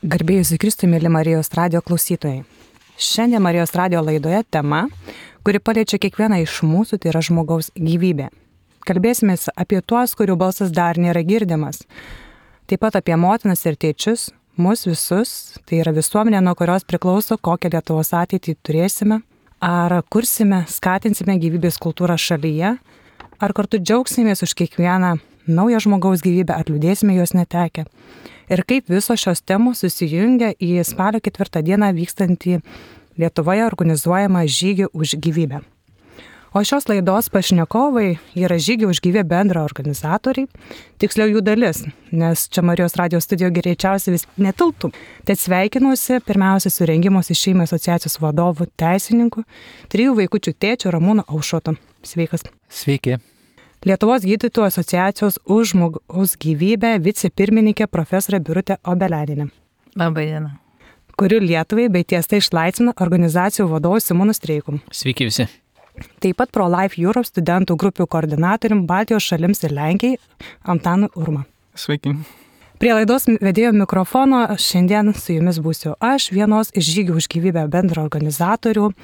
Garbėjusi Kristui, mėly Marijos radijo klausytojai. Šiandien Marijos radijo laidoje tema, kuri paliečia kiekvieną iš mūsų, tai yra žmogaus gyvybė. Kalbėsime apie tuos, kurių balsas dar nėra girdimas. Taip pat apie motinas ir tėčius, mus visus, tai yra visuomenė, nuo kurios priklauso, kokią Lietuvos ateitį turėsime, ar kursime, skatinsime gyvybės kultūrą šalyje, ar kartu džiaugsimės už kiekvieną naują žmogaus gyvybę, ar liūdėsime jos netekę. Ir kaip visos šios temos susijungia į spalio 4 dieną vykstantį Lietuvoje organizuojamą žygį už gyvybę. O šios laidos pašnekovai yra žygį už gyvybę bendra organizatoriai, tiksliau jų dalis, nes čia Marijos radijo studijoje greičiausiai vis netilptų. Tad sveikinuosi pirmiausia su rengimosi šeimai asociacijos vadovu teisininku, 3 vaikučių tėčiu Ramūnu Aušrotu. Sveikas. Sveiki. Lietuvos gydytojų asociacijos už žmogaus gyvybę vicepirmininkė profesorė Birutė Obeleninė. Labai diena. Kurių Lietuvai bei tiesta išlaisvina organizacijų vadovų Simonu Streiku. Sveiki visi. Taip pat Pro-Life Europe studentų grupių koordinatorium Baltijos šalims ir Lenkijai Antanu Urma. Sveiki. Prie laidos vedėjo mikrofono šiandien su jumis būsiu aš, vienos iš žygių už gyvybę bendro organizatorių,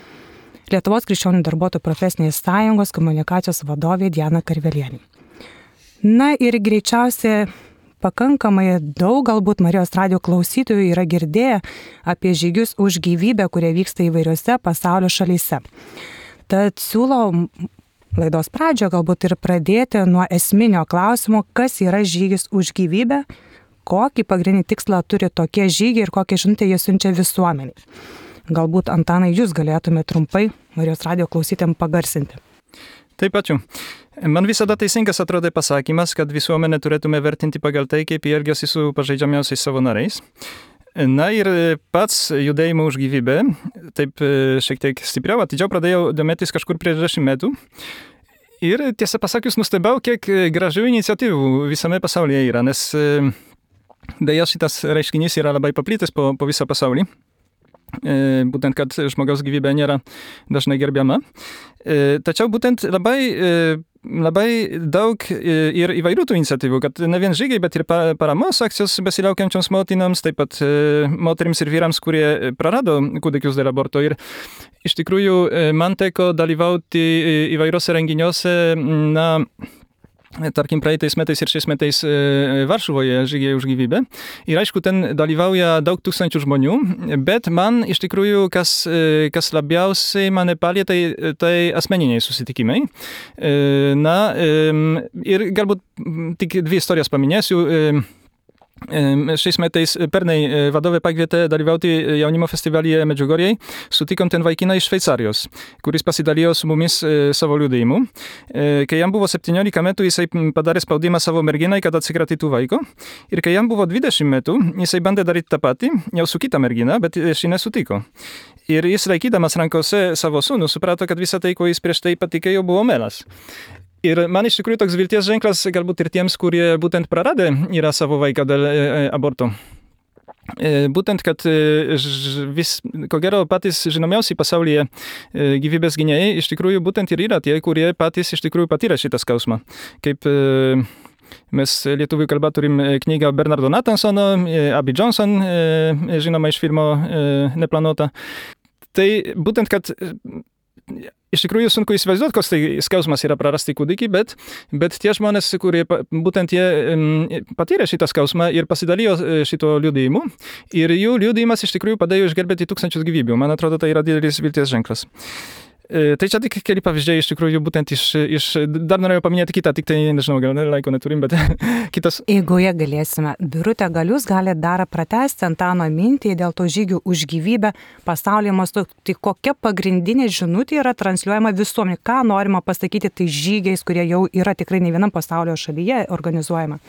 Lietuvos krikščionių darbuotojų profesinės sąjungos komunikacijos vadovė Diana Karvelienė. Na ir greičiausiai pakankamai daug galbūt Marijos radijo klausytojų yra girdėję apie žygius už gyvybę, kurie vyksta įvairiose pasaulio šalyse. Tad siūlau laidos pradžioje galbūt ir pradėti nuo esminio klausimo, kas yra žygis už gyvybę, kokį pagrindinį tikslą turi tokie žygiai ir kokią žinutę jie siunčia visuomeniai. Galbūt, Antanai, jūs galėtume trumpai Marijos radijo klausytėm pagarsinti. Taip, ačiū. Man visada teisingas atrodo pasakymas, kad visuomenę turėtume vertinti pagal tai, kaip jie elgiasi su pažeidžiamiausiais savo nariais. Na ir pats judėjimo už gyvybę, taip šiek tiek stipriau, atidžiau pradėjau domėtis kažkur prieš 10 metų. Ir tiesą pasakius, nustebau, kiek gražių iniciatyvų visame pasaulyje yra, nes deja šitas reiškinys yra labai paplitęs po visą pasaulį. Būtent, kad žmogaus gyvybė nėra dažnai gerbiama. Tačiau būtent labai daug ir įvairių tų iniciatyvų, kad ne vien žygiai, bet ir paramos akcijos besilaukiančioms motinoms, taip pat moterims ir vyrams, kurie prarado kūdikius dėl aborto. Ir iš tikrųjų man teko dalyvauti įvairiose renginiuose, tarkim, praeitais metais ir šiais metais Varšuvoje žygiai už gyvybę. Ir aišku, ten dalyvauja daug tūkstančių žmonių, bet man iš tikrųjų, kas labiausiai mane palietė, tai asmeniniai susitikimai. Ir galbūt tik 2 istorijas paminėsiu. Šiais metais pernai vadovė pakvietė dalyvauti jaunimo festivalyje Medžiugorjėj. Sutikom ten vaikiną iš Šveicarijos, kuris pasidalijo su mumis savo liudijimu. Kai jam buvo 17 metų, jisai padarė spaudimą savo merginai, kad atsikratytų vaiko. Ir kai jam buvo 20 metų, jisai bandė daryti tą patį, jau su kita mergina, bet ši nesutiko. Ir jis laikydamas rankose savo sūnų suprato, kad visą tai, ko jis prieš tai patikėjo, buvo melas. Ir man iš tikrųjų toks vilties ženklas galbūt ir tiems, kurie būtent praradė yra savo vaiką dėl aborto. Būtent, kad ko gero patys žinomiausi pasaulyje gyvybės gynėjai iš tikrųjų būtent ir yra tie, kurie patys iš tikrųjų patyrė šitą skausmą. Kaip mes lietuvių kalba turim knygą Bernardo Nathansono, Abby Johnson, žinoma iš filmo Neplanuota. Tai būtent, kad iš tikrųjų sunku įsivaizduoti, koks tai skausmas yra prarasti kūdikį, bet tie žmonės, kurie būtent jie patyrė šitą skausmą ir pasidalijo šito liudijimu, ir jų liudijimas iš tikrųjų padėjo išgelbėti tūkstančius gyvybių. Man atrodo, tai yra didelis vilties ženklas. Tai čia tik keli pavyzdžiai iš tikrųjų būtent dar norėjau paminėti kitą, tik tai nežinau, gal laiko neturim, bet kitas. Eigoje galėsime. Birutė, gal jūs galite dar pratęsti Antano mintį dėl to žygių už gyvybę pasaulyje mastu. Tai kokia pagrindinė žinutė yra transliuojama visuomenė? Ką norima pasakyti tai žygiais, kurie jau yra tikrai ne vienam pasaulio šalyje organizuojama?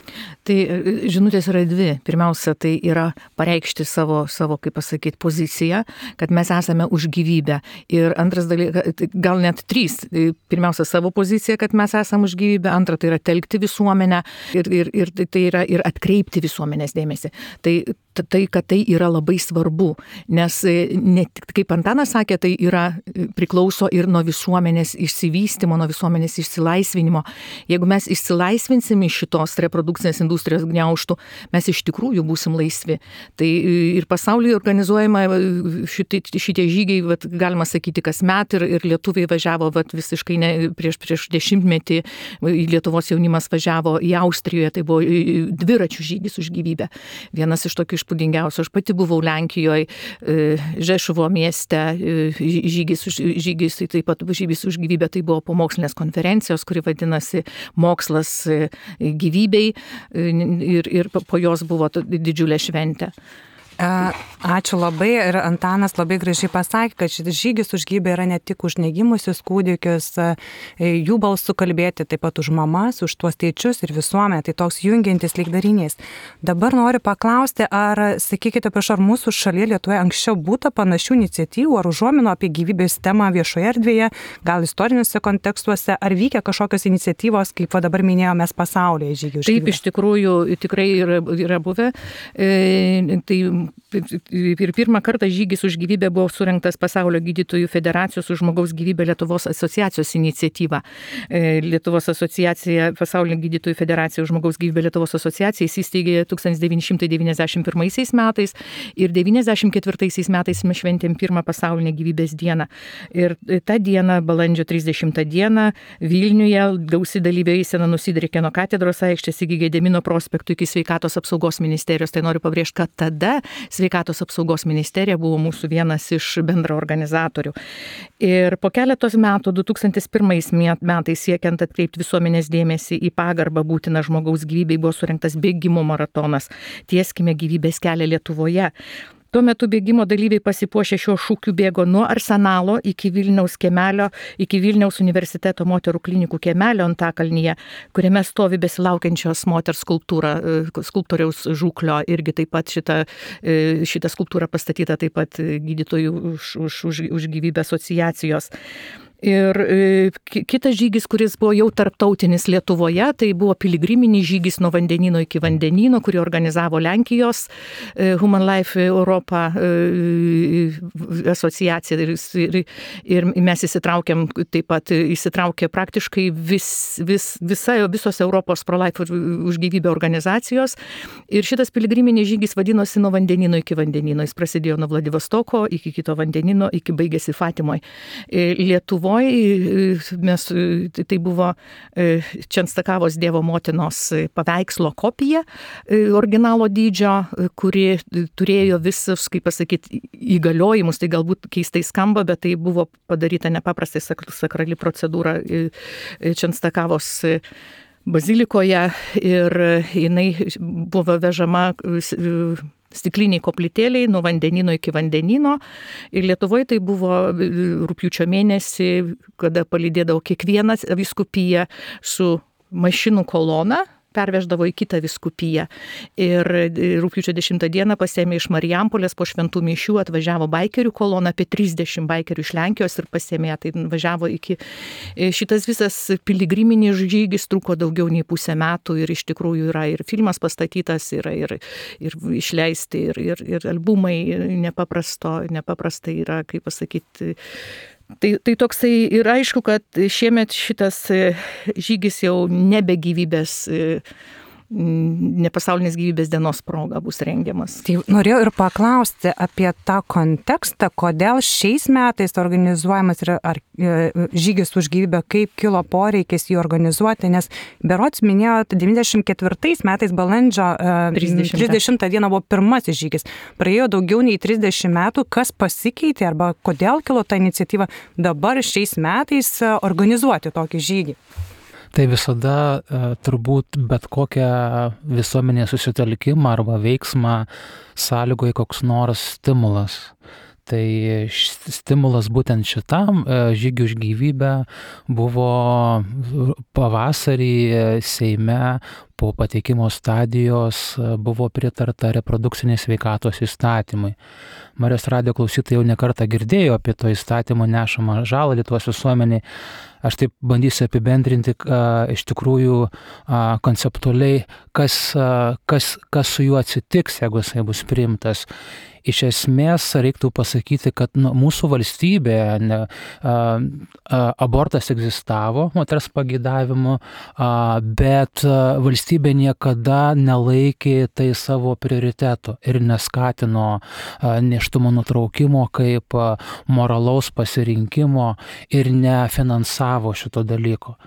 Tai žinutės yra 2. Pirmiausia, tai yra pareikšti savo kaip pasakyti, poziciją, kad mes esame už gyvybę. Ir antras dalykas, gal net 3. Pirmiausia, savo poziciją, kad mes esame už gyvybę. Antra, tai yra telkti visuomenę ir tai yra ir atkreipti visuomenės dėmesį. Tai tai, kad tai yra labai svarbu, nes ne tik, kaip Antanas sakė, tai priklauso ir nuo visuomenės išsivystymo, nuo visuomenės išsilaisvinimo. Jeigu mes išsilaisvinsim iš šitos reprodukcinės industrijos gniaužtų, mes iš tikrųjų būsim laisvi. Tai ir pasaulyje organizuojama šitie žygiai, galima sakyti, kasmet ir lietuviai važiavo visiškai prieš dešimtmetį, Lietuvos jaunimas važiavo į Austrijoje, tai buvo dviračių žygis už gyvybę. Vienas iš tokių išpūdingiausių. Aš pati buvau Lenkijoje, Žešuvo mieste, žygis, tai taip pat žygis už gyvybę, tai buvo pamokslinės konferencijos, kuri vadinasi Mokslas gyvybei ir po jos buvo didžiulė šventė. Ačiū labai ir Antanas labai gražiai pasakė, kad šis žygis už gyvybę yra ne tik už negimusius kūdikius, jų balsu kalbėti, taip pat už mamas, už tuos tėčius ir visuomenę, tai toks jungiantis lygdarinys. Dabar noriu paklausti, sakykite, prašau, ar mūsų šalyje Lietuvoje anksčiau būta panašių iniciatyvų ar užuominų apie gyvybės temą viešoje erdvėje, gal istoriniuose kontekstuose, ar vykę kažkokios iniciatyvos, kaip dabar minėjomės pasaulyje žygių už gyvybę? Taip, iš tikrųjų, tikrai yra buvę. Tai ir pirmą kartą žygis už gyvybę buvo surengtas Pasaulio gydytojų federacijos už žmogaus gyvybę Lietuvos asociacijos iniciatyva. Lietuvos asociacija, Pasaulio gydytojų federacija už žmogaus gyvybę Lietuvos asociacija įsisteigė 1991 metais ir 1994 metais mes šventėm pirmą pasaulinę gyvybės dieną. Ir tą dieną, balandžio 30 dieną, Vilniuje gausi dalyviai eisena nusidriekė nuo katedros aikštės iki Gedimino prospektų iki Sveikatos apsaugos ministerijos. Tai noriu pabrėžti, kad tada Sveikatos apsaugos ministerija buvo mūsų vienas iš bendraorganizatorių. Ir po keletos metų, 2001 metais, siekiant atkreipti visuomenės dėmesį į pagarbą būtiną žmogaus gyvybei, buvo surengtas bėgimo maratonas Tieskime gyvybės kelią Lietuvoje. Tuo metu bėgimo dalyviai pasipuošę šiuo šūkiu bėgo nuo Arsenalo iki Vilniaus kiemelio, iki Vilniaus universiteto moterų klinikų kiemelio Antakalnyje, kuriame stovi besilaukiančios moters skulptūra, skulptoriaus Žuklio, irgi taip pat šita skulptūra pastatyta taip pat gydytojų už gyvybę asociacijos. Ir kitas žygis, kuris buvo jau tarptautinis Lietuvoje, tai buvo piligriminis žygis nuo vandenyno iki vandenyno, kurį organizavo Lenkijos Human Life Europa asociacija. Ir mes įsitraukė praktiškai visos Europos Pro-Life už gyvybę organizacijos. Ir šitas piligriminis žygis vadinosi nuo vandenyno iki vandenyno. Jis prasidėjo nuo Vladivostoko iki kito vandenyno, iki baigėsi Fatimoje. Lietuvoje tai buvo Čenstakavos Dievo motinos paveikslo kopija originalo dydžio, kuri turėjo visus, kaip pasakyti, įgaliojimus. Tai galbūt keistai skamba, bet tai buvo padaryta nepaprastai sakrali procedūra Čenstakavos bazilikoje ir jinai buvo vežama stikliniai koplytėliai nuo vandenyno iki vandenyno. Ir Lietuvoje tai buvo rugpjūčio mėnesį, kada palydėdavo kiekvieną vyskupiją su mašinų kolona, perveždavo į kitą vyskupiją. Ir rugpjūčio 10 dieną pasiėmė iš Marijampolės po šventų mišių, atvažiavo baikerių kolona, apie 30 baikerių iš Lenkijos ir pasiėmė, tai važiavo iki... Šitas visas piligriminis žygis truko daugiau nei pusę metų ir iš tikrųjų yra ir filmas pastatytas, yra ir išleisti, ir albumai nepaprastai yra, kaip pasakyti... Tai toksai ir aišku, kad šiemet šitas žygis jau nebe gyvybės, ne pasaulinės gyvybės dienos proga bus rengiamas. Tai norėjau ir paklausti apie tą kontekstą, kodėl šiais metais organizuojamas žygis už gyvybę, kaip kilo poreikis jį organizuoti, nes berods minėjot, 94 metais balandžio 30 dieną buvo pirmasis žygis. Praėjo daugiau nei 30 metų, kas pasikeitė arba kodėl kilo ta iniciatyva dabar šiais metais organizuoti tokį žygį? Tai visada turbūt bet kokią visuomenės susitelkimą arba veiksmą sąlygoja koks nors stimulas. Tai stimulas būtent šitam žygiui už gyvybę buvo pavasarį Seime po pateikimo stadijos buvo pritarta reprodukcinės sveikatos įstatymui. Marijos radijo klausytojai jau nekartą girdėjo apie to įstatymo nešamą žalą Lietuvos visuomeniai. Aš taip bandysiu apibendrinti iš tikrųjų konceptualiai, kas su juo atsitiks, jeigu jisai bus priimtas. Iš esmės reiktų pasakyti, kad mūsų valstybėje abortas egzistavo moters pageidavimu, bet valstybė niekada nelaikė tai savo prioritetu ir neskatino nėštumo nutraukimo kaip moralaus pasirinkimo ir nefinansavo šito dalyko.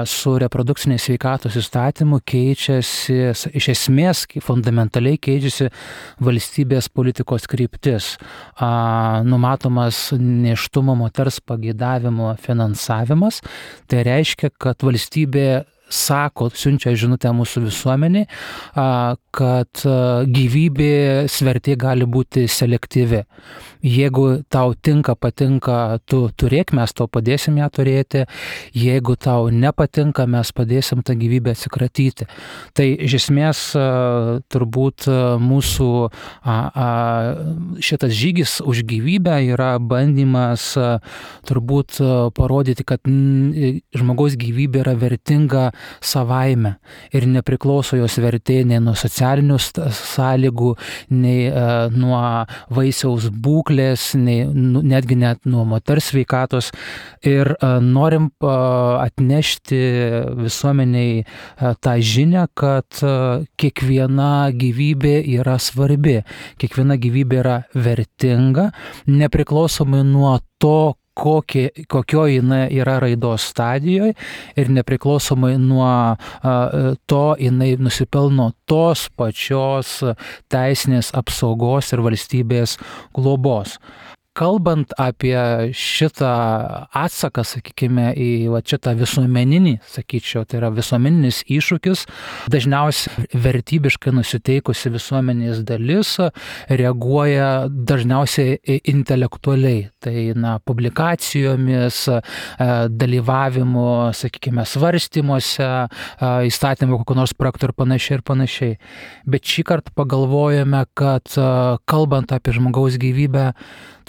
Su reprodukcinės sveikatos įstatymu keičiasi, iš esmės fundamentaliai keičiasi valstybės politikos kryptis. Numatomas nėštumo moters pageidavimo finansavimas. Tai reiškia, kad valstybė siunčia žinutę mūsų visuomenį, kad gyvybės vertė gali būti selektyvi. Jeigu tau patinka, tu turėk, mes tau padėsim ją turėti. Jeigu tau nepatinka, mes padėsim tą gyvybę atsikratyti. Tai iš esmės turbūt mūsų šitas žygis už gyvybę yra bandymas turbūt parodyti, kad žmogaus gyvybė yra vertinga savaime ir nepriklauso jos vertė nei nuo socialinių sąlygų, nei nuo vaisiaus būklės, netgi net nuo moters sveikatos. Ir norim atnešti visuomeniai tą žinią, kad kiekviena gyvybė yra svarbi, kiekviena gyvybė yra vertinga, nepriklausomai nuo to, kokioje jinai yra raidos stadijoje ir nepriklausomai nuo to jinai nusipelno tos pačios teisinės apsaugos ir valstybės globos. Kalbant apie šitą atsaką, sakykime, į šitą visuomeninį, sakyčiau, tai yra visuomeninis iššūkis, dažniausiai vertybiškai nusiteikusi visuomenės dalis reaguoja dažniausiai intelektualiai. Tai publikacijomis, dalyvavimu, sakykime, svarstymuose, įstatymų kokių nors projektų ir panašiai. Bet šį kartą pagalvojame, kad kalbant apie žmogaus gyvybę,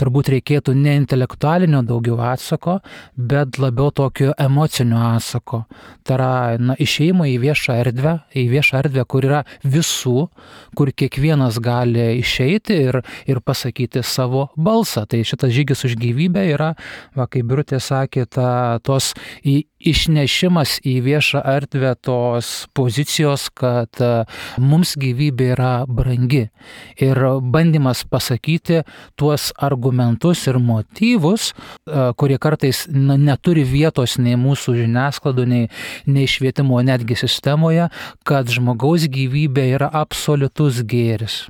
turbūt reikėtų ne intelektualinio daugiau atsako, bet labiau tokio emocinio atsako. Tai yra išėjimo į viešą erdvę, kur yra visų, kur kiekvienas gali išeiti ir pasakyti savo balsą. Tai šitas žygis už gyvybę yra, kaip Birutė sakė, tos išnešimas į viešą erdvę tos pozicijos, kad mums gyvybė yra brangi. Ir bandymas pasakyti tuos argumentus ir motyvus, kurie kartais neturi vietos nei mūsų žiniasklaidų, nei švietimo netgi sistemoje, kad žmogaus gyvybė yra absoliutus gėris.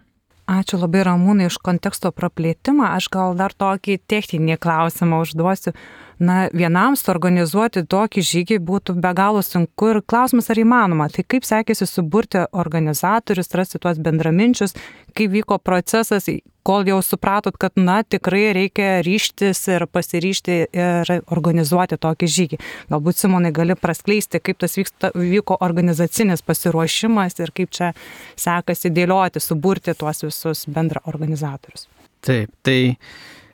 Ačiū labai Ramūnai už konteksto praplėtimą. Aš gal dar tokį techninį klausimą užduosiu. Vienam suorganizuoti tokį žygį būtų be galo sunku ir klausimas, ar įmanoma. Tai kaip sekėsi suburti organizatorius, rasti tuos bendraminčius, kaip vyko procesas, kol jau supratot, kad tikrai reikia ryžtis ir pasiryžti ir organizuoti tokį žygį. Galbūt, Simonai, gali praskleisti, kaip tas vyko organizacinis pasiruošimas ir kaip čia sekasi dėlioti, suburti tuos visus bendra organizatorius. Taip, tai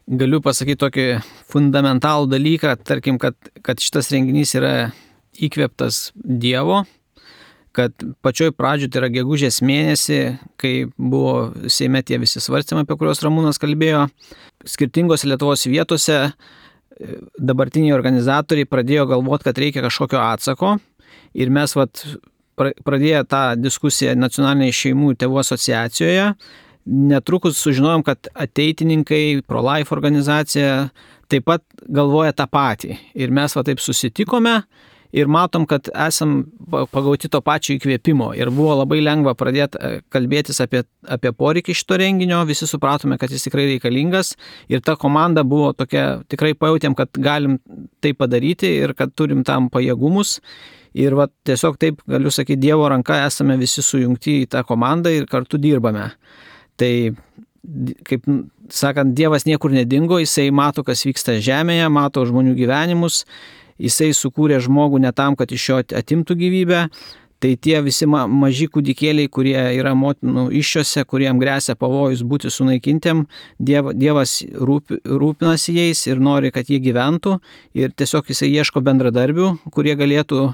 galiu pasakyti tokį fundamentalų dalyką, tarkim, kad šitas renginys yra įkvėptas Dievo, kad pačioj pradžioj, tai yra gegužės mėnesį, kai buvo Seime tie visi svarstymai, apie kuriuos Ramūnas kalbėjo, skirtingose Lietuvos vietose dabartiniai organizatoriai pradėjo galvoti, kad reikia kažkokio atsako ir mes pradėję tą diskusiją Nacionalinėje šeimų ir tėvų asociacijoje, netrukus sužinojom, kad ateitininkai, Pro-Life organizacija taip pat galvoja tą patį. Ir mes taip susitikome ir matom, kad esam pagauti to pačio įkvėpimo. Ir buvo labai lengva pradėti kalbėtis apie poreikį šito renginio. Visi supratome, kad jis tikrai reikalingas. Ir ta komanda buvo tokia, tikrai pajautėm, kad galim tai padaryti ir kad turim tam pajėgumus. Ir tiesiog taip, galiu sakyti, Dievo ranka esame visi sujungti į tą komandą ir kartu dirbame. Tai kaip sakant, Dievas niekur nedingo, jisai mato, kas vyksta žemėje, mato žmonių gyvenimus, jisai sukūrė žmogų ne tam, kad iš jo atimtų gyvybę. Tai tie visi maži kūdikėliai, kurie yra motinų iššiose, kuriem grėsia pavojus būti sunaikintiem, Dievas rūpinasi jais ir nori, kad jie gyventų, ir tiesiog jisai ieško bendradarbių, kurie galėtų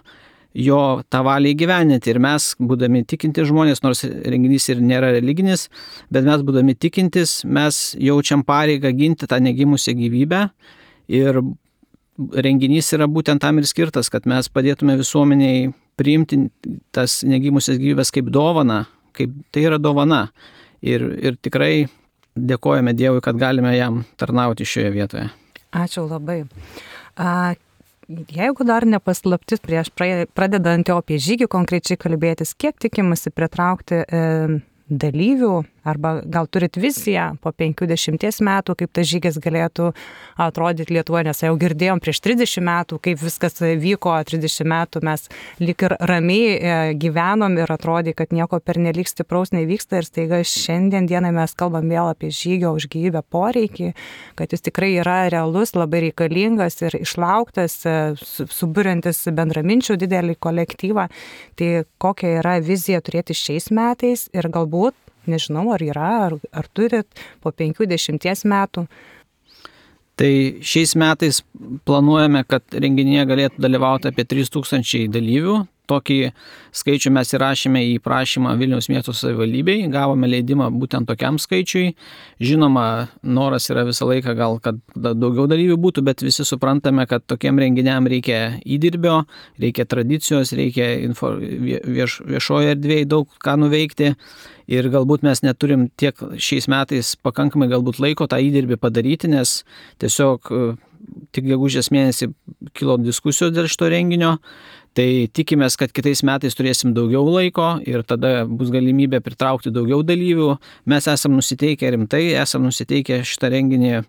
jo tą valią įgyvendinti. Ir mes, būdami tikinti žmonės, nors renginys ir nėra religinis, bet mes, būdami tikintis, mes jaučiam pareigą ginti tą negimusią gyvybę, ir renginys yra būtent tam ir skirtas, kad mes padėtume visuomeniai priimti tas negimusias gyvybės kaip dovaną, kaip tai yra dovana. Ir tikrai dėkojame Dievui, kad galime jam tarnauti šioje vietoje. Ačiū labai. Jeigu dar nepaslaptis prieš pradedant jau apie žygį konkrečiai kalbėtis, kiek tikimasi pritraukti dalyvių, arba gal turit viziją po 50 metų, kaip tas žygis galėtų atrodyti Lietuvoje, nes jau girdėjom prieš 30 metų, kaip viskas vyko, 30 metų mes lyg ir ramiai gyvenom ir atrodė, kad nieko pernelyg stipraus nevyksta, ir staiga šiandien dienai mes kalbam vėl apie žygio už gyvybę poreikį, kad jis tikrai yra realus, labai reikalingas ir išlauktas, suburiantis bendraminčių didelį kolektyvą. Tai kokia yra vizija turėti šiais metais ir galbūt, nežinau, ar yra, ar turit po 50 metų? Tai šiais metais planuojame, kad renginyje galėtų dalyvauti apie 3000 dalyvių. Tokį skaičių mes įrašėme į prašymą Vilniaus miesto savivaldybei, gavome leidimą būtent tokiam skaičiui. Žinoma, noras yra visą laiką gal, kad daugiau dalyvių būtų, bet visi suprantame, kad tokiem renginiam reikia įdirbio, reikia tradicijos, reikia viešoje erdvėje daug ką nuveikti. Ir galbūt mes neturim tiek šiais metais pakankamai galbūt laiko tą įdirbį padaryti, nes tiesiog tik gegužės mėnesį kilo diskusijos dėl šito renginio. Tai tikimės, kad kitais metais turėsim daugiau laiko ir tada bus galimybė pritraukti daugiau dalyvių. Mes esam nusiteikę rimtai, esam nusiteikę šitą renginį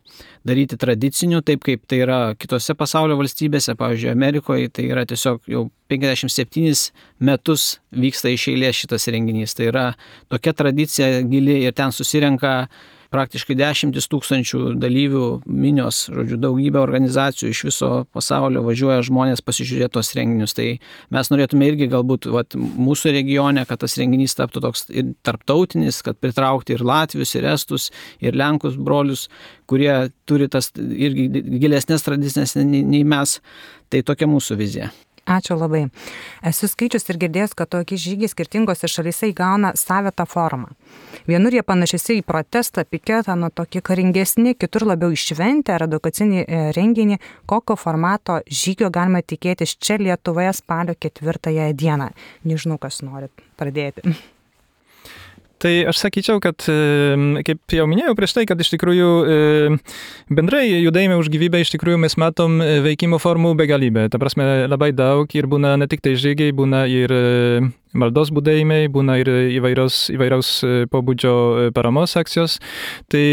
daryti tradiciniu, taip kaip tai yra kitose pasaulio valstybėse, pavyzdžiui, Amerikoje, tai yra tiesiog jau 57 metus vyksta iš eilės šitas renginys. Tai yra tokia tradicija gili ir ten susirenka praktiškai 10 000 dalyvių minios, žodžiu, daugybė organizacijų iš viso pasaulio važiuoja žmonės pasižiūrėti tos renginius. Tai mes norėtume irgi galbūt mūsų regione, kad tas renginys taptų toks ir tarptautinis, kad pritraukti ir latvius, ir estus, ir lenkus brolius, kurie turi tas irgi gilesnės tradicinės nei mes. Tai tokia mūsų vizija. Ačiū labai. Esu skaičius ir girdėjęs, kad tokie žygiai skirtingose šalyse įgauna savitą formą. Vienur jie panašiai į protestą, piketą, tokie karingesni, kitur labiau į šventę ar edukacinį renginį. Kokio formato žygio galima tikėtis čia Lietuvoje spalio 4 dieną? Nežinau, kas norit pradėti. Tai aš sakyčiau, kad, kaip jau minėjau prieš tai, kad iš tikrųjų bendrai judėjime už gyvybę iš tikrųjų mes matom veikimo formų begalybę. Ta prasme, labai daug ir būna ne tik tai žygiai, būna ir maldos budėjimai, būna ir įvairiaus pobūdžio paramos akcijos. Tai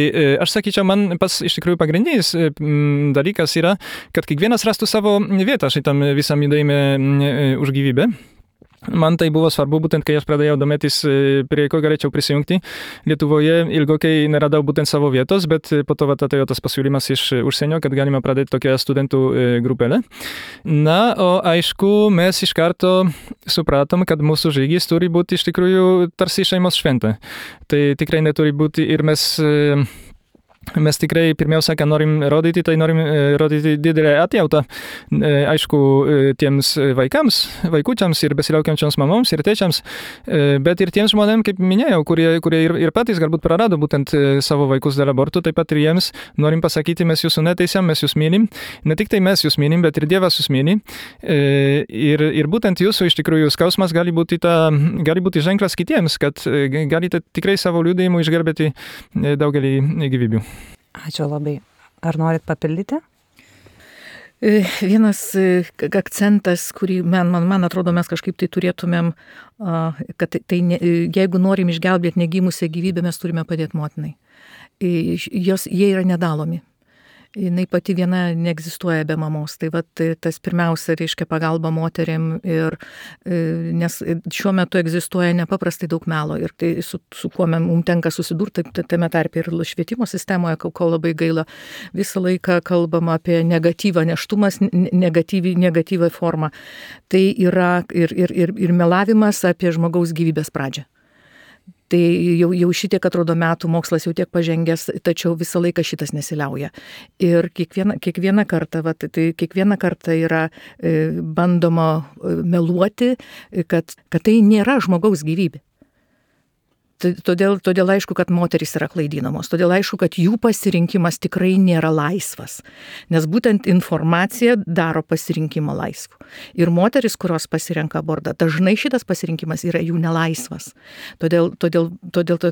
aš sakyčiau, man pas iš tikrųjų pagrindinis dalykas yra, kad kiekvienas rastų savo vietą šitam visam judėjime už gyvybę. Man tai buvo svarbu, būtent kai aš pradėjau domėtis, prie ko galėčiau prisijungti. Lietuvoje ilgokai neradau būtent savo vietos, bet po to atėjo tas pasiūlymas iš užsienio, kad galima pradėti tokią studentų grupelę. Na, o aišku, mes iš karto supratom, kad mūsų žygis turi būti iš tikrųjų tarsi šeimos šventė. Tai tikrai neturi būti ir mes tikrai pirmiausia, ką norim rodyti, tai norim rodyti didelę atjautą, aišku, tiems vaikučiams ir besilaukiančioms mamoms ir tėčiams, bet ir tiems žmonėms, kaip minėjau, kurie ir patys galbūt prarado būtent savo vaikus dėl abortų, taip pat ir jiems norim pasakyti, mes jūsų neteisiam, mes jūs mylim. Ne tik tai mes jūs mylim, bet ir Dievas jūs myli. Ir būtent jūsų iš tikrųjų skausmas gali būti ženklas kitiems, kad galite tikrai savo liudijimu išgelbėti daugelį gyvybių. Ačiū labai. Ar norit papildyti? Vienas akcentas, kurį man atrodo mes kažkaip tai turėtumėm, kad jeigu norim išgelbėti negimusią gyvybę, mes turime padėti motinai. Jie yra nedalomi. jinai pati viena neegzistuoja be mamos. Tai tas pirmiausia reiškia pagalba moterim, nes šiuo metu egzistuoja nepaprastai daug melo ir tai su kuo mums tenka susidurti, tame tarpe ir švietimo sistemoje, ko labai gaila, visą laiką kalbama apie negatyvą, neštumas, negatyvą formą. Tai yra ir melavimas apie žmogaus gyvybės pradžią. Tai jau šitiek atrodo metų, mokslas jau tiek pažengęs, tačiau visą laiką šitas nesiliauja. Ir kiekvieną kartą yra bandoma meluoti, kad tai nėra žmogaus gyvybė. Todėl aišku, kad moterys yra klaidinamos, todėl aišku, kad jų pasirinkimas tikrai nėra laisvas, nes būtent informacija daro pasirinkimą laisvu. Ir moteris, kurios pasirenka abortą, dažnai šitas pasirinkimas yra jų nelaisvas. Todėl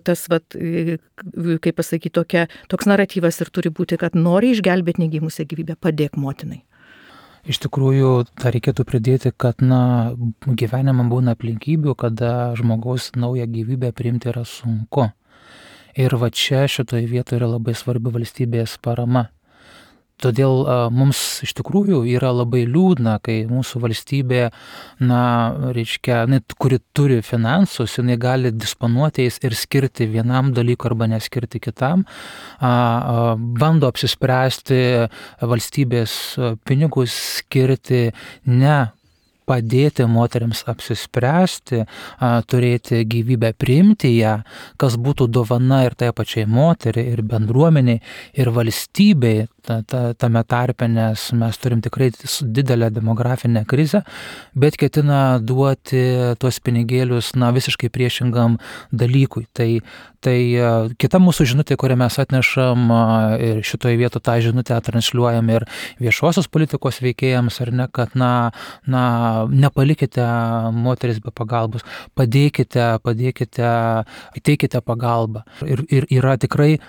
tas, kaip pasakyti, toks naratyvas ir turi būti, kad nori išgelbėti negimusią gyvybę, padėk motinai. Iš tikrųjų, tą reikėtų pridėti, kad gyvenime būna aplinkybių, kada žmogaus naują gyvybę priimti yra sunku. Ir čia šitoje vietoje yra labai svarbi valstybės parama. Todėl mums iš tikrųjų yra labai liūdna, kai mūsų valstybė, kuri turi finansus, jinai gali disponuoti jais ir skirti vienam dalykui arba neskirti kitam, bando apsispręsti valstybės pinigus skirti ne padėti moteriams apsispręsti, turėti gyvybę, priimti ją, kas būtų dovana ir tai pačiai moteriai, ir bendruomeniai, ir valstybei, tame tarpe, nes mes turim tikrai didelę demografinę krizę, bet ketina duoti tuos pinigėlius visiškai priešingam dalykui. Tai kita mūsų žinutė, kurią mes atnešam ir šitoje vietoje tą žinutę transliuojam ir viešosios politikos veikėjams, ar ne, kad nepalikite moteris be pagalbos, padėkite, teikite pagalbą. Ir yra tikrai,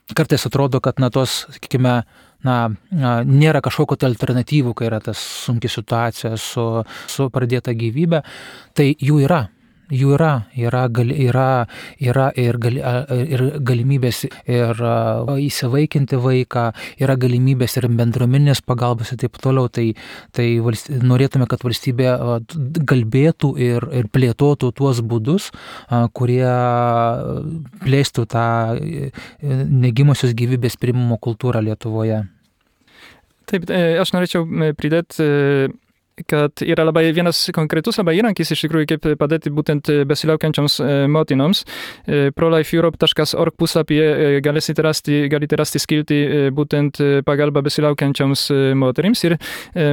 kartais atrodo, kad sakykime, nėra kažkokio alternatyvų, kai yra tas sunki situacija su pradėta gyvybė, tai jų yra. Yra galimybės ir įsivaikinti vaiką, yra galimybės ir bendruomeninės pagalbos ir taip toliau. Tai norėtume, kad valstybė galbėtų ir plėtotų tuos būdus, kurie plėstų tą negimusios gyvybės priėmimo kultūrą Lietuvoje. Taip, aš norėčiau pridėti, kad yra vienas konkretus įrankis iš tikrųjų, kaip padėti būtent besilaukiančioms motinoms. prolifeeurope.org puslapyje galite rasti skiltį būtent pagalba besilaukiančioms moterims. Ir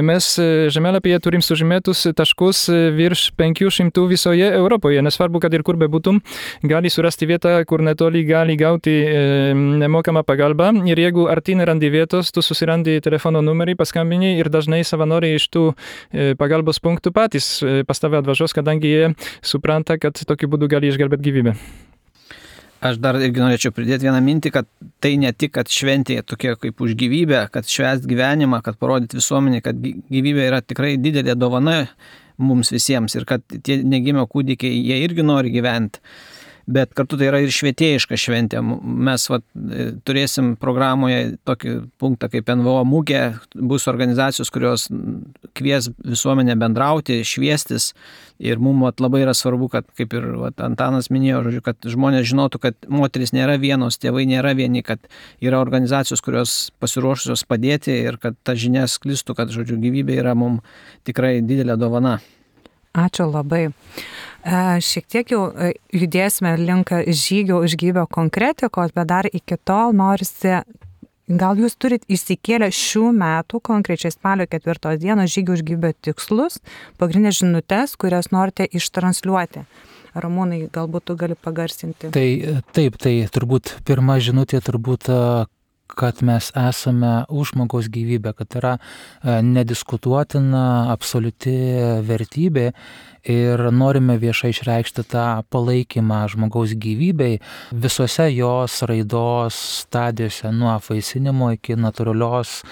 mes žemėlapyje turim sužymėtus taškus virš 500 visoje Europoje. Nesvarbu, kad ir kur bebūtum, gali surasti vietą, kur netoli gali gauti nemokamą pagalbą. Ir jeigu arti nerandi vietos, tu susirandi telefono numerį, paskambini ir dažnai savanoriai iš tų pagalbos punktų patys pas tave atvažiuos, kadangi jie supranta, kad tokiu būdu gali išgelbėti gyvybę. Aš dar irgi norėčiau pridėti vieną mintį, kad tai ne tik, kad šventė tokia kaip už gyvybę, kad švęst gyvenimą, kad parodyti visuomenį, kad gyvybė yra tikrai didelė dovana mums visiems ir kad tie negimę kūdikiai, jie irgi nori gyventi. Bet kartu tai yra ir švietėjiška šventė. Mes turėsim programoje tokį punktą kaip NVO mugė, bus organizacijos, kurios kvies visuomenę bendrauti, šviestis. Ir mums labai yra svarbu, kad, kaip ir Antanas minėjo, kad žmonės žinotų, kad moteris nėra vienos, tėvai nėra vieni, kad yra organizacijos, kurios pasiruošusios padėti ir kad ta žinia sklistų, kad gyvybė yra mums tikrai didelė dovana. Ačiū labai. Šiek tiek jau judėsime link žygio už gyvybę konkretikos, bet dar iki tol norisi, gal jūs turit įsikėlę šių metų, konkrečiai spalio 4 dienos žygio už gyvybę tikslus, pagrindinės žinutes, kurias norite ištransliuoti. Ramūnai, galbūt tu gali pagarsinti. Tai turbūt pirma žinutė kad mes esame už žmogaus gyvybę, kad yra nediskutuotina, absoliuti vertybė ir norime viešai išreikšti tą palaikymą žmogaus gyvybei visose jos raidos stadijose, nuo apvaisinimo iki natūralios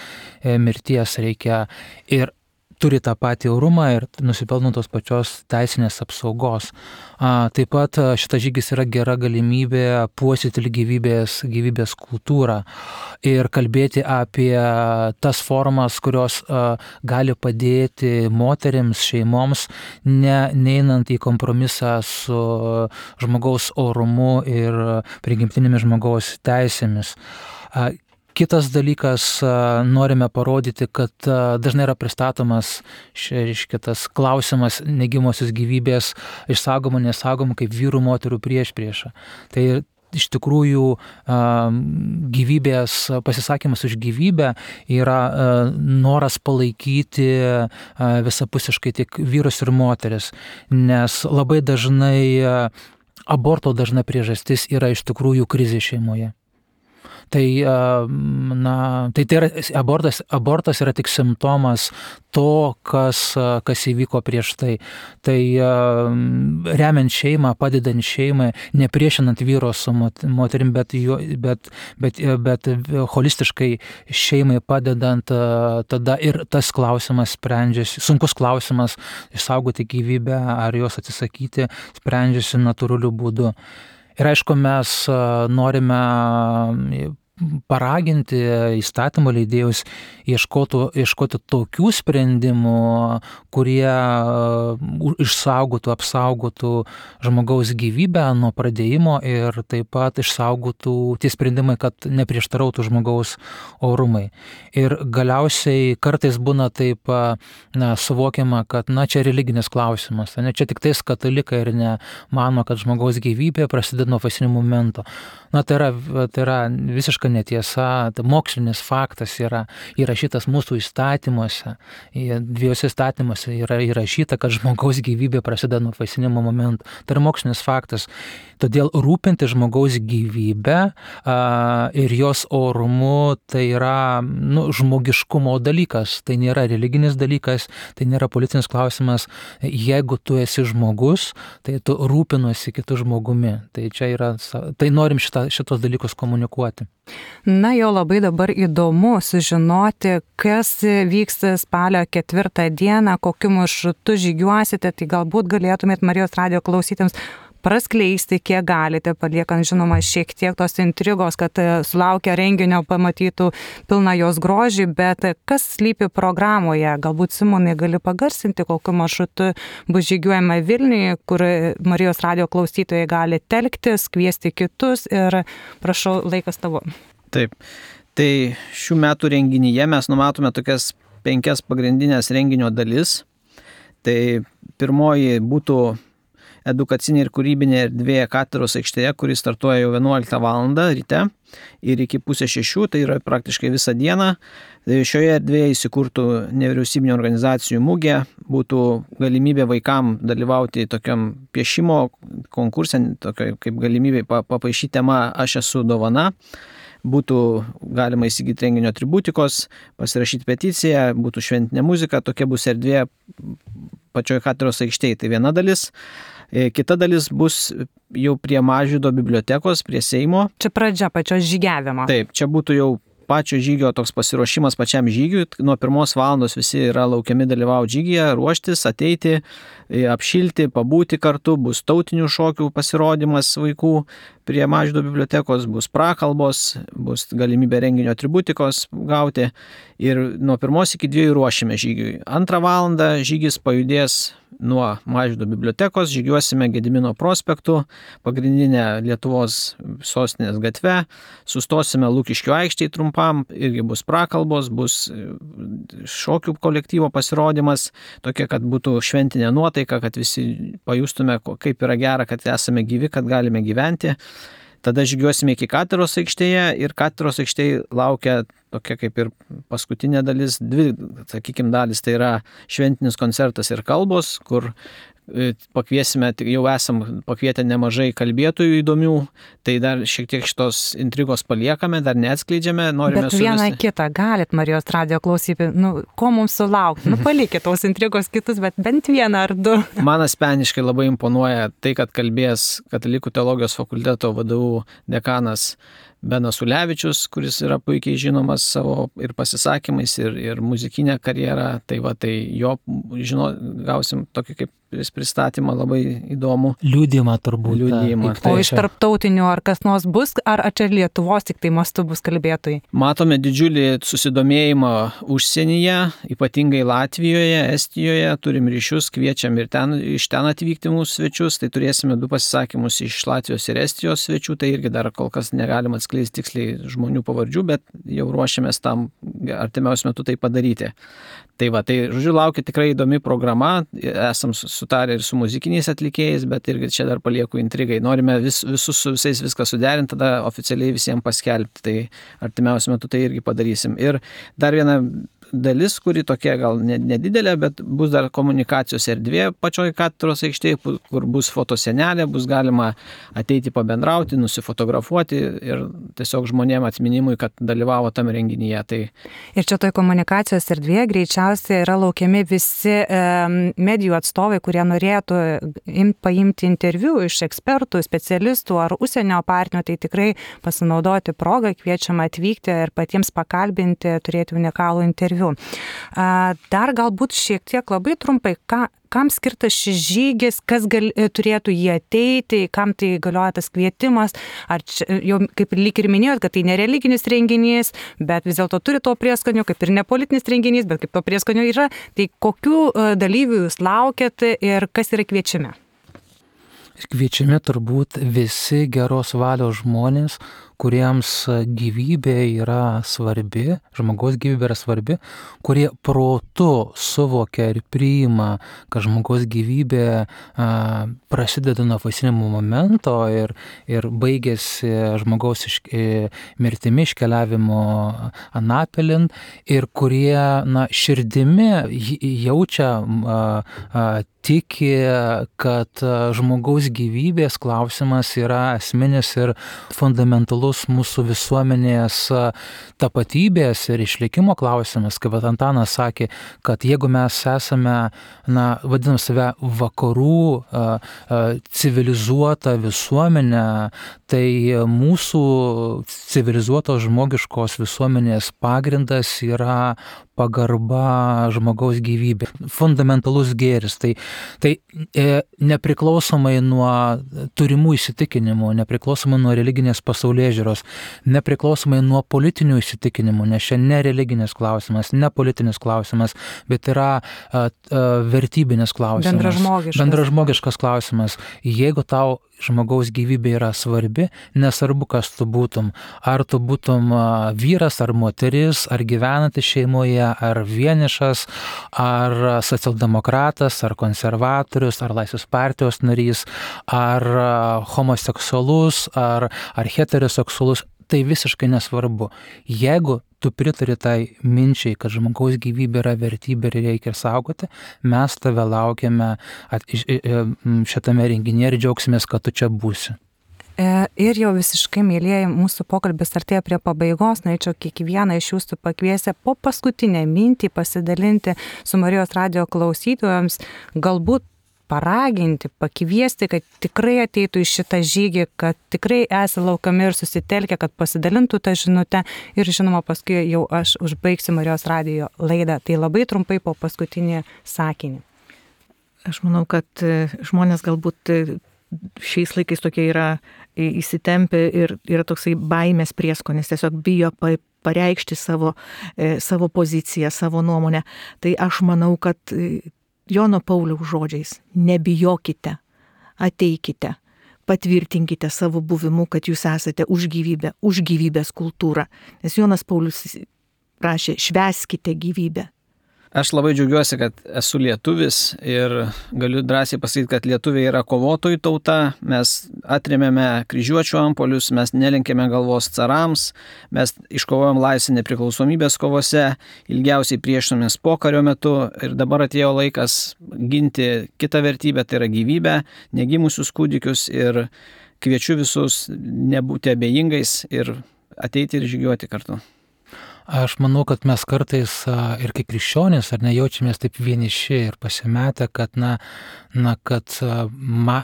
mirties reikia. Ir turi tą patį orumą ir nusipelno tos pačios teisinės apsaugos. Taip pat šitas žygis yra gera galimybė puoselėti gyvybės kultūrą ir kalbėti apie tas formas, kurios gali padėti moterims, šeimoms, neinant į kompromisą su žmogaus orumu ir prigimtinėmis žmogaus teisėmis. Kitas dalykas, norime parodyti, kad dažnai yra pristatomas tas klausimas negimosios gyvybės išsaugomų, nesaugomų kaip vyrų moterų priešprieša. Tai iš tikrųjų gyvybės pasisakymas už gyvybę yra noras palaikyti visapusiškai tik vyrus ir moteris, nes labai dažnai aborto dažna priežastis yra iš tikrųjų krizė šeimoje. Tai yra abortas yra tik simptomas to, kas įvyko prieš tai. Tai remiant šeimą, padedant šeimai, nepriešinant vyro su moterim, bet holistiškai šeimai padedant, tada ir tas klausimas sprendžiasi, sunkus klausimas išsaugoti gyvybę ar jos atsisakyti, sprendžiasi natūraliu būdu. Ir aišku, mes norime paraginti įstatymo leidėjus ieškoti tokių sprendimų, kurie išsaugotų, apsaugotų žmogaus gyvybę nuo pradėjimo ir taip pat išsaugotų tie sprendimai, kad neprieštarautų žmogaus orumai. Ir galiausiai kartais būna taip suvokiama, kad čia religinis klausimas, čia tik tais katalikai ir nemano, kad žmogaus gyvybė prasideda nuo fasinio momento. Tai yra visiška netiesa, mokslinis faktas yra įrašytas mūsų įstatymuose, dviejose įstatymuose yra įrašyta, kad žmogaus gyvybė prasideda nuo faisinimo momento. Tai yra mokslinis faktas. Todėl rūpinti žmogaus gyvybę ir jos orumu tai yra žmogiškumo dalykas, tai nėra religinis dalykas, tai nėra politinis klausimas. Jeigu tu esi žmogus, tai tu rūpinuosi kitų žmogumi. Tai norim šitos dalykus komunikuoti. Jau labai dabar įdomu sužinoti, kas vyks spalio 4 dieną, kokiu maršrutu žygiuosite, tai galbūt galėtumėt Marijos radijo klausytėms praskleisti, kiek galite, paliekant žinoma šiek tiek tos intrigos, kad sulaukę renginio pamatytų pilną jos grožį, bet kas slypi programoje? Galbūt Simonai gali pagarsinti, kokiu maršrutu bus žygiuojama Vilniuje, kur Marijos radijo klausytojai gali telktis, kviesti kitus ir prašau, laikas tavo. Taip, tai šių metų renginyje mes numatome tokias 5 pagrindinės renginio dalis. Tai pirmoji būtų edukacinė ir kūrybinė erdvė katedros aikštėje, kuri startuoja jau 11 val. Ryte ir iki 5:30, tai yra praktiškai visą dieną. Šioje erdvėje įsikurtų nevyriausybinio organizacijų mugė, būtų galimybė vaikam dalyvauti tokiam piešimo konkurse, kaip galimybė papaišyti temą Aš esu dovana. Būtų galima įsigyti renginio atributikos, pasirašyti peticiją, būtų šventinė muzika, tokia bus erdvė pačioje katedros aikštėje. Tai viena dalis. Kita dalis bus jau prie Mažvydo bibliotekos, prie Seimo. Čia pradžia pačios žygiavimo. Taip, čia būtų jau pačio žygio toks pasiruošimas pačiam žygiui. Nuo 1 valandos visi yra laukiami dalyvauti žygyje, ruoštis, ateiti, apšilti, pabūti kartu, bus tautinių šokių pasirodymas vaikų prie Mažvydo bibliotekos, bus prakalbos, bus galimybė renginio atributikos gauti ir nuo 1 iki 2 ruošime žygiui. 2 valandą žygis pajudės nuo Mažvydo bibliotekos, žygiuosime Gedimino prospektu, pagrindinę Lietuvos sostinės gatve, sustosime Lukiškių aikštėje trumpam, irgi bus prakalbos, bus šokių kolektyvo pasirodymas, tokia, kad būtų šventinė nuotaika, kad visi pajustume, kaip yra gera, kad esame gyvi, kad galime gyventi. Tada žygiuosime iki katedros aikštėje ir katedros aikštėje laukia tokia kaip ir paskutinė dalis, 2, sakykime, dalis, tai yra šventinis koncertas ir kalbos, kur pakviesime, jau esam pakvietę nemažai kalbėtojų įdomių, tai dar šiek tiek šitos intrigos paliekame, dar neatskleidžiame, norime bet vieną kitą galit Marijos radijo klausyti, ko mums sulaukti, palikit tos intrigos kitus, bet bent vieną ar 2. Man asmeniškai labai imponuoja tai, kad kalbės Katalikų teologijos fakulteto VDU dekanas Benas Ulevičius, kuris yra puikiai žinomas savo ir pasisakymais, ir muzikinę karjerą. Tai jo gausim tokį kaip pristatymą labai įdomų. Liudijimą turbūt. Liudijimą. O iš tarptautinių ar kas nors bus, ar čia Lietuvos tik tai mastu bus kalbėtojai? Matome didžiulį susidomėjimą užsienyje, ypatingai Latvijoje, Estijoje, turim ryšius, kviečiam ir iš ten atvykti mūsų svečius, tai turėsime 2 pasisakymus iš Latvijos ir Estijos svečių, tai irgi dar kol kas negalim atskleisti tiksliai žmonių pavardžių, bet jau ruošiamės tam artimiausiu metu tai padaryti. Tai žodžiu, laukia tikrai įdomi programa, esam sutarę ir su muzikiniais atlikėjais, bet irgi čia dar palieku intrigai. Norime visus su visais viską suderinti, tada oficialiai visiems paskelbti, tai artimiausiu metu tai irgi padarysim. Ir dar viena dalis, kuri tokia gal nedidelė, bet bus dar komunikacijos erdvė pačioj katedros aikštėje, kur bus fotosenelė, bus galima ateiti pabendrauti, nusifotografuoti ir tiesiog žmonėm atminimui, kad dalyvavo tam renginyje. Tai... Ir čia toj komunikacijos erdvėje greičiausiai yra laukiami visi medijų atstovai, kurie norėtų paimti interviu iš ekspertų, specialistų ar užsienio partnerių, tai tikrai pasinaudoti progą, kviečiama atvykti ir patiems pakalbinti, turėti unikalų interviu. Dar galbūt šiek tiek labai trumpai, kam skirtas šis žygis, kas turėtų jį ateiti, kam tai galioja tas kvietimas, ar čia, jau kaip lyg ir minėjot, kad tai nereliginis renginys, bet vis dėlto turi to prieskonio, kaip ir nepolitinis renginys, bet kaip to prieskonio yra, tai kokių dalyvių jūs laukiat ir kas yra kviečiami? Kviečiami turbūt visi geros valios žmonės, kuriems gyvybė yra svarbi, žmogaus gyvybė yra svarbi, kurie protu suvokia ir priima, kad žmogaus gyvybė prasideda nuo apvaisinimo momento ir baigėsi žmogaus mirtimi iškeliavimo anapilin ir kurie širdimi jaučia, tiki, kad žmogaus gyvybės klausimas yra esminis ir fundamentalus mūsų visuomenės tapatybės ir išlikimo klausimas, kaip Antanas sakė, kad jeigu mes esame, vadinam save vakarų civilizuota visuomenė, tai mūsų civilizuotos žmogiškos visuomenės pagrindas yra pagarba žmogaus gyvybė, fundamentalus gėris. Tai nepriklausomai nuo turimų įsitikinimų, nepriklausomai nuo religinės pasaulėžiūros, nepriklausomai nuo politinių įsitikinimų, nes čia ne religinis klausimas, ne politinis klausimas, bet yra vertybinis klausimas. Bendražmogiškas klausimas. Jeigu tau žmogaus gyvybė yra svarbi, nesvarbu, kas tu būtum. Ar tu būtum vyras, ar moteris, ar gyvenantis šeimoje, ar vienišas, ar socialdemokratas, ar konservatorius, ar Laisvės partijos narys, ar homoseksualus, ar heteroseksualus, tai visiškai nesvarbu. Jeigu tu pritari tai minčiai, kad žmogaus gyvybė yra vertybė ir reikia saugoti, mes tave laukiame šitame renginyje ir džiaugsimės, kad tu čia būsi. Ir jau visiškai, mėlyjeji, mūsų pokalbis artėja prie pabaigos, norėčiau kiekvieną iš jūsų pakviesti po paskutinę mintį pasidalinti su Marijos radijo klausytojams, galbūt paraginti, pakviesti, kad tikrai ateitų į šitą žygį, kad tikrai esate laukiami ir susitelkę, kad pasidalintų tą žinutę ir žinoma paskui jau aš užbaigsiu Marijos radijo laidą. Tai labai trumpai po paskutinį sakinį. Aš manau, kad žmonės galbūt šiais laikais tokie yra įsitempę ir yra toksai baimės prieskonis, tiesiog bijo pareikšti savo poziciją, savo nuomonę. Tai aš manau, kad Jono Pauliaus žodžiais: nebijokite, ateikite, patvirtinkite savo buvimu, kad jūs esate už gyvybę, už gyvybės kultūrą. Nes Jonas Paulius rašė: švęskite gyvybę. Aš labai džiaugiuosi, kad esu lietuvis ir galiu drąsiai pasakyti, kad lietuviai yra kovotojų tauta, mes atrėmėme kryžiuočių antpuolius, mes nelenkėme galvos carams, mes iškovojom laisvę nepriklausomybės kovose, ilgiausiai priešinomės pokario metu ir dabar atėjo laikas ginti kitą vertybę, tai yra gyvybę, negimusius kūdikius, ir kviečiu visus nebūti abejingais ir ateiti ir žygiuoti kartu. Aš manau, kad mes kartais ir kaip krikščionys ar nejaučiamės taip vieniši ir pasimetę, kad, kad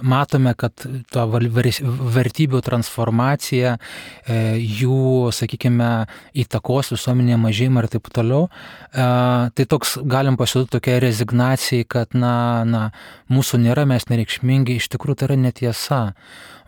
matome, kad to vertybių transformacija, jų, sakykime, įtakos visuomenėje mažėjimą ir taip toliau. Tai toks galim pasiūlyti tokia rezignacija, kad mūsų nėra, mes nereikšmingi, iš tikrųjų tai yra netiesa.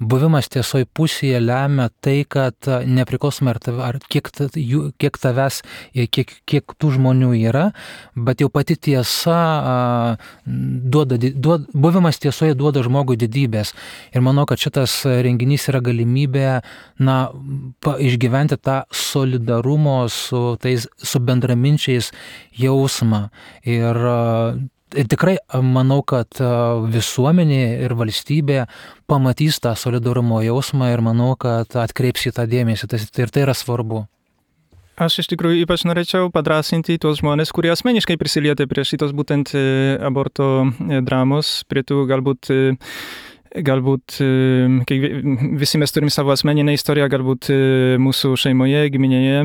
Buvimas tiesoj pusėje lemia tai, kad nepriklausomai ar kiek tavęs, kiek tų žmonių yra, bet jau pati tiesa, buvimas tiesoje duoda žmogui didybės. Ir manau, kad šitas renginys yra galimybė išgyventi tą solidarumo su bendraminčiais jausmą. Ir tikrai manau, kad visuomenė ir valstybė pamatys tą solidarumo jausmą ir manau, kad atkreips į tą dėmesį. Ir tai yra svarbu. Aš iš tikrųjų ypač norėčiau padrasinti tuos žmonės, kurie asmeniškai prisilietė prie šitos būtent aborto dramos, prie tų galbūt visi mes turim savo asmeninę istoriją, galbūt mūsų šeimoje, giminėje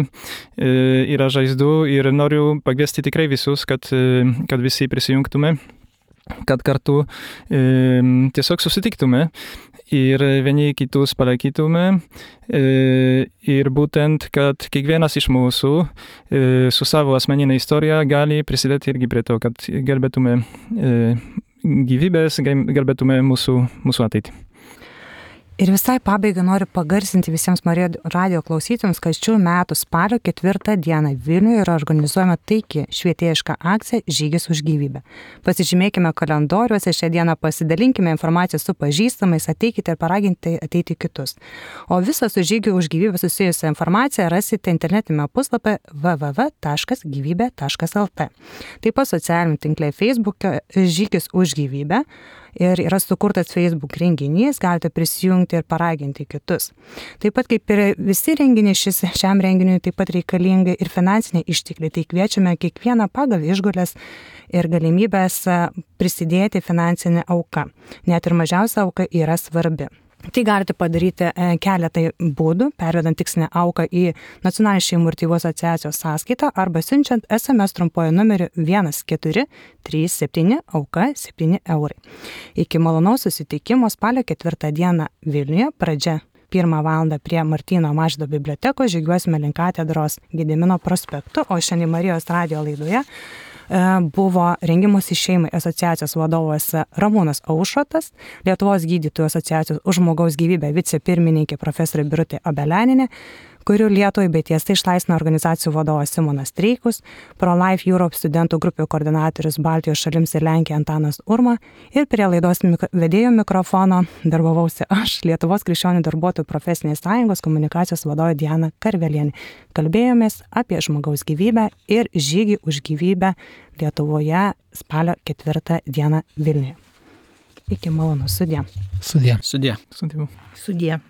yra žaizdų ir noriu pakviesti tikrai visus, kad visi prisijungtume, kad kartu tiesiog susitiktume ir vieni kitus palaikytume ir būtent, kad kiekvienas iš mūsų su savo asmeninė istorija gali prisidėti irgi prie to, kad gelbėtume gyvybės, gelbėtume mūsų ateitį. Ir visai pabaigai noriu pagarsinti visiems Marijos radijo klausytojams, kad šių metų spalio 4 dieną Vilniuje yra organizuojama taiki švietėjiška akcija Žygis už gyvybę. Pasižymėkime kalendoriuose šią dieną, pasidalinkime informaciją su pažįstamais, ateikite ir paraginti ateiti kitus. O visą su Žygiu už gyvybę susijusią informaciją rasite internetinėme puslapyje www.gyvybė.lt. Taip pat socialiniame tinkle Facebook'e Žygis už gyvybę. Ir yra sukurtas Facebook renginys, galite prisijungti ir paraginti kitus. Taip pat kaip ir visi renginiai, šiam renginiui taip pat reikalingi ir finansiniai ištekliai. Tai kviečiame kiekvieną pagal išgulės ir galimybės prisidėti finansinę auką. Net ir mažiausia auka yra svarbi. Tai galite padaryti keletai būdų, pervedant tikslinę auką į Nacionalinės šeimų ir tėvų asociacijos sąskaitą arba siunčiant SMS trumpuoju numeriu 1437 auka 7 eurai. Iki malonaus susitikimo spalio 4 dieną Vilniuje, pradžia 1 valandą prie Martyno Mažvydo bibliotekos, žygiuosime link katedros Gedimino prospektu, o šiandien Marijos radijo laidoje buvo Rengimusi šeimai asociacijos vadovas Ramūnas Aušrotas, Lietuvos gydytojų asociacijos už žmogaus gyvybę vicepirmininkė profesorė Birutė Obeleninė, kurių Lietuvai bei tiesai išlaisvino organizacijų vadovas Simonas Streikus, Pro-Life Europe studentų grupių koordinatorius Baltijos šalims ir Lenkija Antanas Urma ir prie laidos vedėjo mikrofono darbavausi aš, Lietuvos krikščionių darbuotojų profesinės sąjungos komunikacijos vadovė Diana Karvelienė. Kalbėjomės apie žmogaus gyvybę ir žygį už gyvybę Lietuvoje spalio 4 dieną Vilniuje. Iki malonų, sudie. Sudie. Sudie. Sudie.